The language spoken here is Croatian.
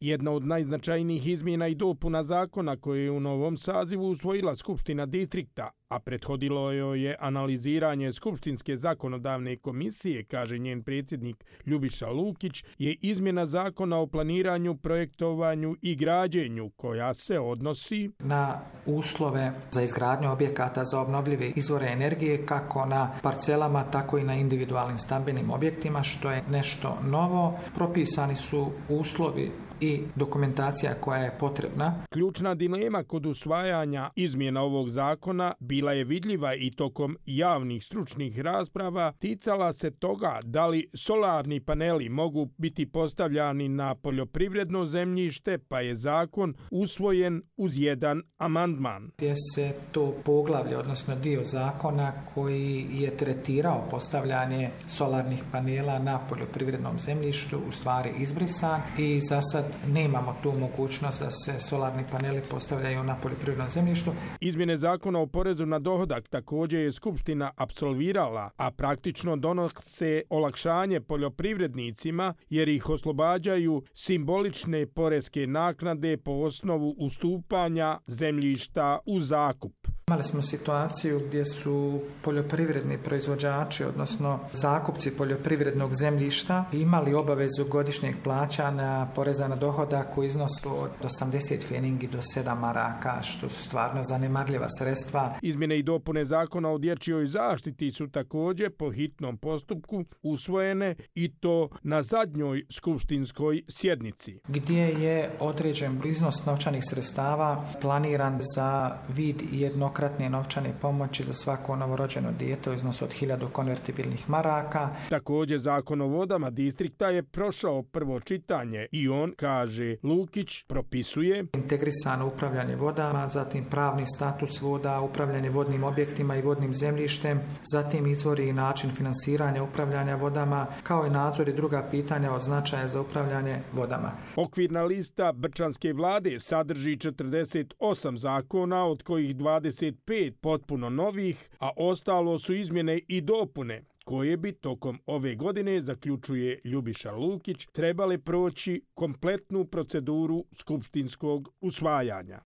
Jedna od najznačajnijih izmjena i dopuna zakona koje je u novom sazivu usvojila Skupština distrikta, a prethodilo joj je analiziranje Skupštinske zakonodavne komisije, kaže njen predsjednik Ljubiša Lukić, je izmjena zakona o planiranju, projektovanju i građenju koja se odnosi na uslove za izgradnju objekata za obnovljive izvore energije kako na parcelama, tako i na individualnim stambenim objektima, što je nešto novo. Propisani su uslovi i dokumentacija koja je potrebna. Ključna dilema kod usvajanja izmjena ovog zakona bila je vidljiva i tokom javnih stručnih rasprava, ticala se toga da li solarni paneli mogu biti postavljani na poljoprivredno zemljište, pa je zakon usvojen uz jedan amandman. Gdje se to poglavlje, odnosno dio zakona koji je tretirao postavljanje solarnih panela na poljoprivrednom zemljištu u stvari izbrisan i za sad nemamo tu mogućnost da se solarni paneli postavljaju na poljoprivrednom zemljištu. Izmjene zakona o porezu na dohodak također je Skupština apsolvirala, a praktično donose olakšanje poljoprivrednicima jer ih oslobađaju simbolične poreske naknade po osnovu ustupanja zemljišta u zakup. Imali smo situaciju gdje su poljoprivredni proizvođači, odnosno zakupci poljoprivrednog zemljišta, imali obavezu godišnjeg plaćanja poreza na dohodak u iznosu od 80 feningi do 7 maraka, što su stvarno zanemarljiva sredstva. Izmjene i dopune zakona o dječjoj zaštiti su također po hitnom postupku usvojene i to na zadnjoj skupštinskoj sjednici, gdje je određen iznos novčanih sredstava planiran za vid jednokratne novčane pomoći za svako novorođeno dijete u iznosu od 1000 konvertibilnih maraka. Također zakon o vodama distrikta je prošao prvo čitanje i on, kaže Lukić, propisuje integrisano upravljanje vodama, zatim pravni status voda, upravljanje vodnim objektima i vodnim zemljištem, zatim izvori i način finansiranja upravljanja vodama, kao i nadzor i druga pitanja od značaja za upravljanje vodama. Okvirna lista Brčanske vlade sadrži 48 zakona, od kojih 25 potpuno novih, a ostalo su izmjene i dopune koje bi tokom ove godine, zaključuje Ljubiša Lukić, trebale proći kompletnu proceduru skupštinskog usvajanja.